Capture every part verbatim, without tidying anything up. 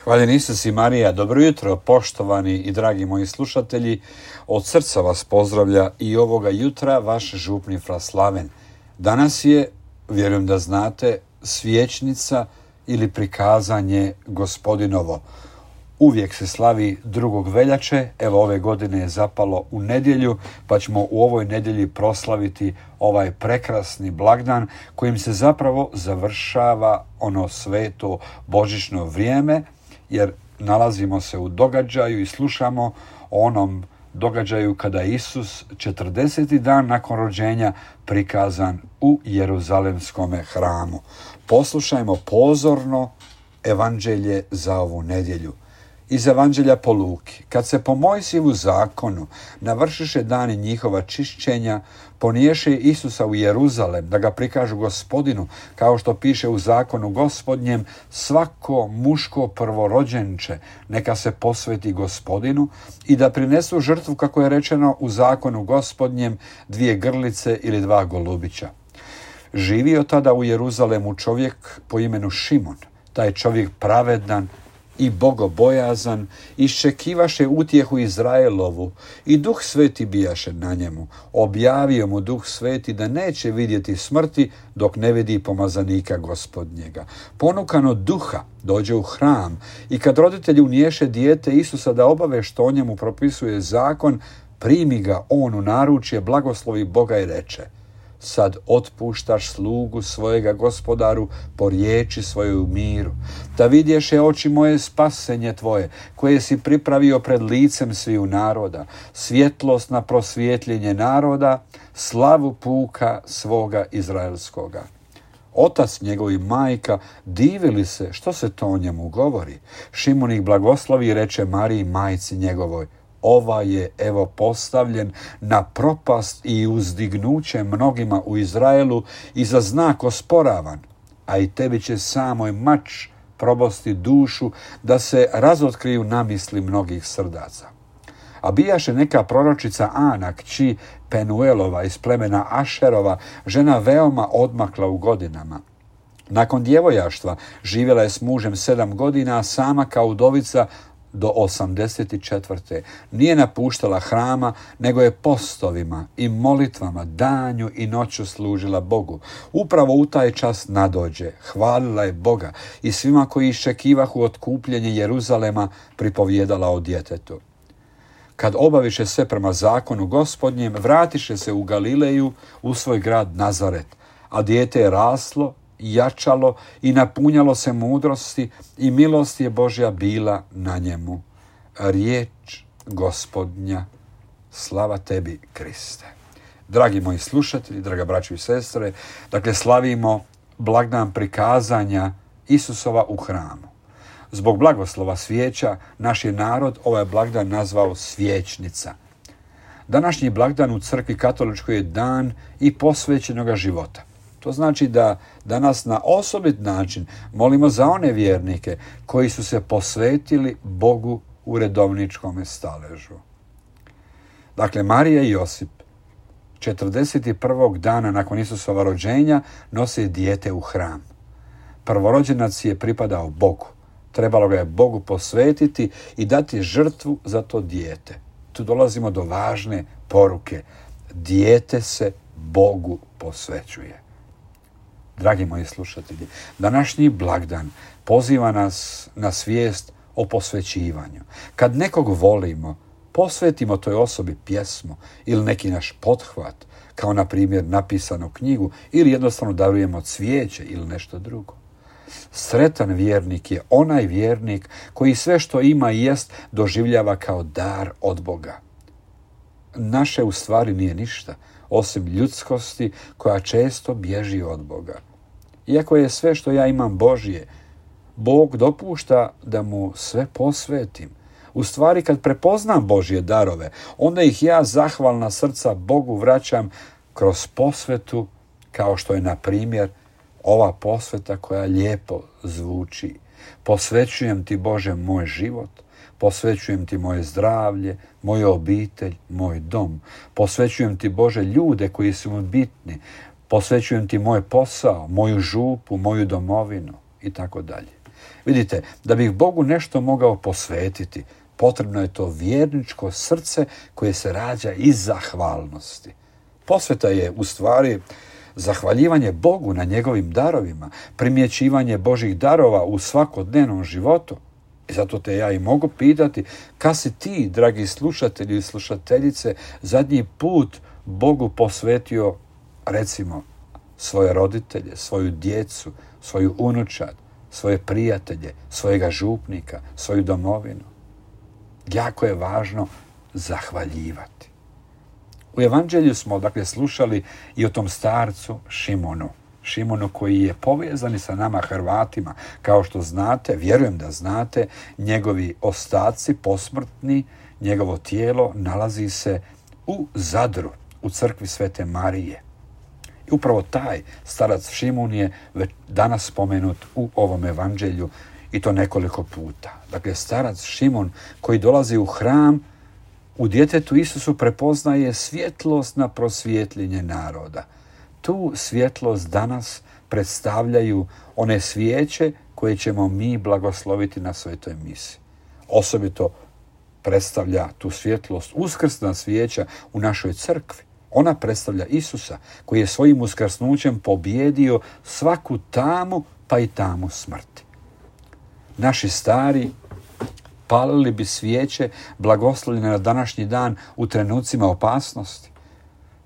Hvaljen Isus i Marija, dobro jutro, poštovani i dragi moji slušatelji. Od srca vas pozdravlja i ovoga jutra vaš župni fra Slaven. Danas je, vjerujem da znate, svječnica ili prikazanje Gospodinovo. Uvijek se slavi drugog veljače, evo ove godine je zapalo u nedjelju, pa ćemo u ovoj nedjelji proslaviti ovaj prekrasni blagdan kojim se zapravo završava ono sveto božićno vrijeme, jer nalazimo se u događaju i slušamo o onom događaju kada je Isus četrdeseti dan nakon rođenja prikazan u Jeruzalemskom hramu. Poslušajmo pozorno evanđelje za ovu nedjelju. Iz evanđelja po Luki. Kad se po Mojsijevu zakonu navršiše dani njihova čišćenja, poniješe Isusa u Jeruzalem da ga prikažu Gospodinu, kao što piše u zakonu Gospodnjem, svako muško prvorođenče neka se posveti Gospodinu i da prinesu žrtvu, kako je rečeno u zakonu Gospodnjem, dvije grlice ili dva golubića. Živio tada u Jeruzalemu čovjek po imenu Šimon, taj čovjek pravedan i bogobojazan, iščekivaše utjehu Izraelovu i Duh Sveti bijaše na njemu. Objavio mu Duh Sveti da neće vidjeti smrti dok ne vidi pomazanika Gospodnjega. Ponukan od Duha dođe u hram i kad roditelji uniješe dijete Isusa da obave što o njemu propisuje zakon, primi ga on u naručje, blagoslovi Boga i reče: sad otpuštaš slugu svojega Gospodaru po riječi svojoj u miru, da vidješe oči moje spasenje tvoje, koje si pripravio pred licem sviju naroda, svjetlost na prosvjetljenje naroda, slavu puka svoga izraelskoga. Otac njegov i majka divili se što se to o njemu govori. Šimon ih blagoslovi i reče Mariji, majci njegovoj: ova je evo postavljen na propast i uzdignuće mnogima u Izraelu i za znak osporavan, a i tebi će samoj mač probosti dušu da se razotkriju namisli mnogih srdaca. A bijaše neka proročica Ana, kći Penuelova iz plemena Ašerova, žena veoma odmakla u godinama. Nakon djevojaštva živjela je s mužem sedam godina, a sama kao udovica do osamdeset četvrte. Nije napuštala hrama, nego je postovima i molitvama danju i noću služila Bogu. Upravo u taj čas nadođe, hvalila je Boga i svima koji iščekivahu otkupljenje Jeruzalema pripovjedala o djetetu. Kad obaviše sve prema zakonu Gospodnjem, vratiše se u Galileju, u svoj grad Nazaret, a dijete je raslo, jačalo i napunjalo se mudrosti i milost je Božja bila na njemu. Riječ Gospodnja, slava tebi, Kriste. Dragi moji slušatelji, draga braćo i sestre, dakle slavimo blagdan prikazanja Isusova u hramu. Zbog blagoslova svijeća naš je narod ovaj blagdan nazvao svječnica. Današnji blagdan u crkvi katoličkoj je dan i posvećenoga života. To znači da danas na osobit način molimo za one vjernike koji su se posvetili Bogu u redovničkom staležu. Dakle, Marija i Josip četrdeset prvog dana nakon Isusova rođenja nose dijete u hram. Prvorođenac je pripadao Bogu. Trebalo ga je Bogu posvetiti i dati žrtvu za to dijete. Tu dolazimo do važne poruke. Dijete se Bogu posvećuje. Dragi moji slušatelji, današnji blagdan poziva nas na svijest o posvećivanju. Kad nekog volimo, posvetimo toj osobi pjesmu ili neki naš pothvat, kao na primjer napisanu knjigu, ili jednostavno darujemo cvijeće ili nešto drugo. Sretan vjernik je onaj vjernik koji sve što ima i jest doživljava kao dar od Boga. Naše u stvari nije ništa, osim ljudskosti koja često bježi od Boga. Iako je sve što ja imam Božje, Bog dopušta da mu sve posvetim. U stvari, kad prepoznam Božje darove, onda ih ja zahvalna srca Bogu vraćam kroz posvetu, kao što je, na primjer, ova posveta koja lijepo zvuči. Posvećujem ti, Bože, moj život, posvećujem ti moje zdravlje, moju obitelj, moj dom. Posvećujem ti, Bože, ljude koji su mi bitni. Posvećujem ti moj posao, moju župu, moju domovinu i tako dalje. Vidite, da bih Bogu nešto mogao posvetiti, potrebno je to vjerničko srce koje se rađa iz zahvalnosti. Posveta je u stvari zahvaljivanje Bogu na njegovim darovima, primjećivanje Božih darova u svakodnevnom životu. I zato te ja i mogu pitati, kad si ti, dragi slušatelji i slušateljice, zadnji put Bogu posvetio, recimo, svoje roditelje, svoju djecu, svoju unučad, svoje prijatelje, svojega župnika, svoju domovinu. Jako je važno zahvaljivati. U evanđelju smo dakle slušali i o tom starcu Šimonu. Šimonu koji je povezan i sa nama Hrvatima. Kao što znate, vjerujem da znate, njegovi ostaci posmrtni, njegovo tijelo nalazi se u Zadru, u crkvi Svete Marije. I upravo taj starac Šimun je već danas spomenut u ovom evanđelju i to nekoliko puta. Dakle, starac Šimun koji dolazi u hram, u djetetu Isusu prepoznaje svjetlost na prosvjetljenje naroda. Tu svjetlost danas predstavljaju one svijeće koje ćemo mi blagosloviti na svetoj misi. Osobito predstavlja tu svjetlost uskrsna svijeća u našoj crkvi. Ona predstavlja Isusa koji je svojim uskrsnućem pobjedio svaku tamu pa i tamu smrti. Naši stari palili bi svijeće blagoslovljene na današnji dan u trenucima opasnosti.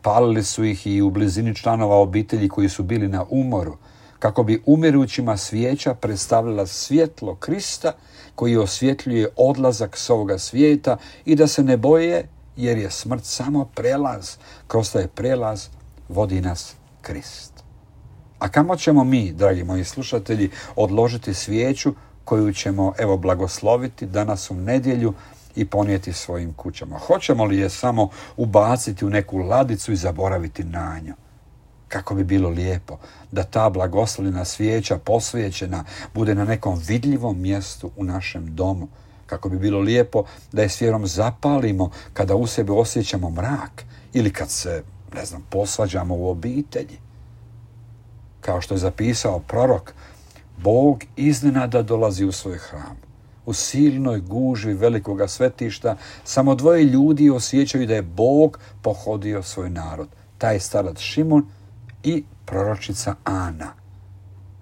Palili su ih i u blizini članova obitelji koji su bili na umoru, kako bi umirućima svijeća predstavljala svjetlo Krista koji osvjetljuje odlazak s ovoga svijeta i da se ne boje jer je smrt samo prelaz. Kroz taj prelaz vodi nas Krist. A kamo ćemo mi, dragi moji slušatelji, odložiti svijeću koju ćemo evo blagosloviti danas u nedjelju i ponijeti svojim kućama? Hoćemo li je samo ubaciti u neku ladicu i zaboraviti na nju? Kako bi bilo lijepo da ta blagoslovljena svijeća posvećena bude na nekom vidljivom mjestu u našem domu. Kako bi bilo lijepo da je s vjerom zapalimo kada u sebi osjećamo mrak ili kad se, ne znam, posvađamo u obitelji. Kao što je zapisao prorok, Bog iznenada dolazi u svoj hram. U silnoj gužvi velikoga svetišta samo dvoje ljudi osjećaju da je Bog pohodio svoj narod. Taj starac Šimun i proročica Ana.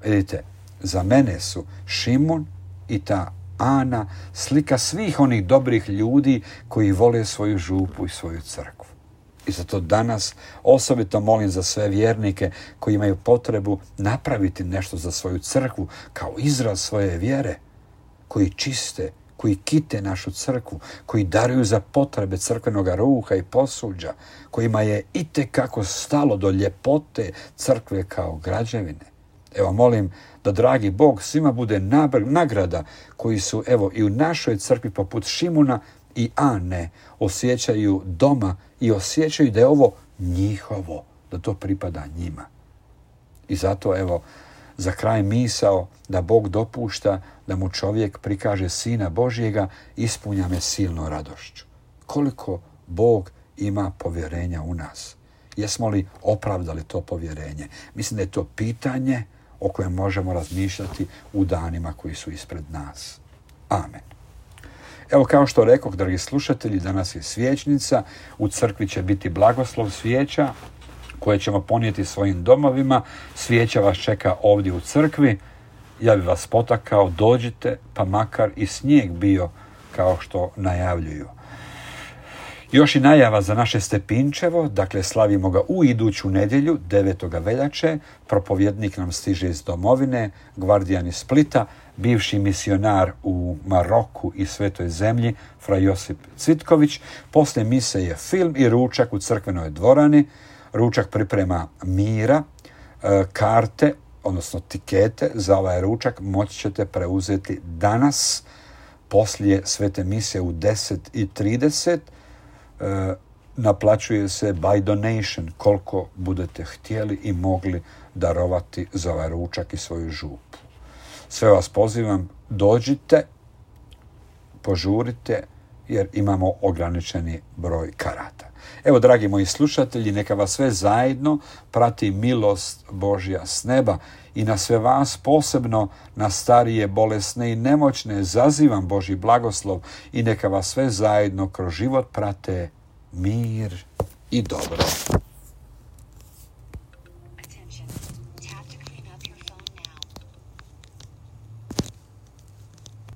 Vidite, za mene su Šimun i ta Ana slika svih onih dobrih ljudi koji vole svoju župu i svoju crkvu. I zato danas osobito molim za sve vjernike koji imaju potrebu napraviti nešto za svoju crkvu kao izraz svoje vjere, koji čiste, koji kite našu crkvu, koji daruju za potrebe crkvenog ruha i posuđa, kojima je itekako stalo do ljepote crkve kao građevine. Evo molim da dragi Bog svima bude nagrada koji su evo i u našoj crkvi poput Šimuna i Ane osjećaju doma i osjećaju da je ovo njihovo, da to pripada njima. I zato evo za kraj misao da Bog dopušta da mu čovjek prikaže Sina Božjega ispunja me silno radošću. Koliko Bog ima povjerenja u nas? Jesmo li opravdali to povjerenje? Mislim da je to pitanje o kojem možemo razmišljati u danima koji su ispred nas. Amen. Evo kao što rekoh, dragi slušatelji, danas je svječnica, u crkvi će biti blagoslov svijeća koje ćemo ponijeti svojim domovima. Svijeća vas čeka ovdje u crkvi. Ja bih vas potakao, dođite, pa makar i snijeg bio kao što najavljuju. Još i najava za naše Stepinčevo, dakle slavimo ga u iduću nedjelju, devetog veljače. Propovjednik nam stiže iz domovine, gvardijan iz Splita, bivši misionar u Maroku i Svetoj zemlji, fra Josip Cvitković. Poslije mise je film i ručak u crkvenoj dvorani. Ručak priprema Mira, karte, odnosno tikete za ovaj ručak moći ćete preuzeti danas poslije svete mise u deset i trideset. E, naplaćuje se by donation koliko budete htjeli i mogli darovati za ovaj ručak i svoju župu. Sve vas pozivam, dođite, požurite jer imamo ograničeni broj karata. Evo, dragi moji slušatelji, neka vas sve zajedno prati milost Božja s neba i na sve vas, posebno na starije, bolesne i nemoćne, zazivam Božji blagoslov i neka vas sve zajedno kroz život prate mir i dobro.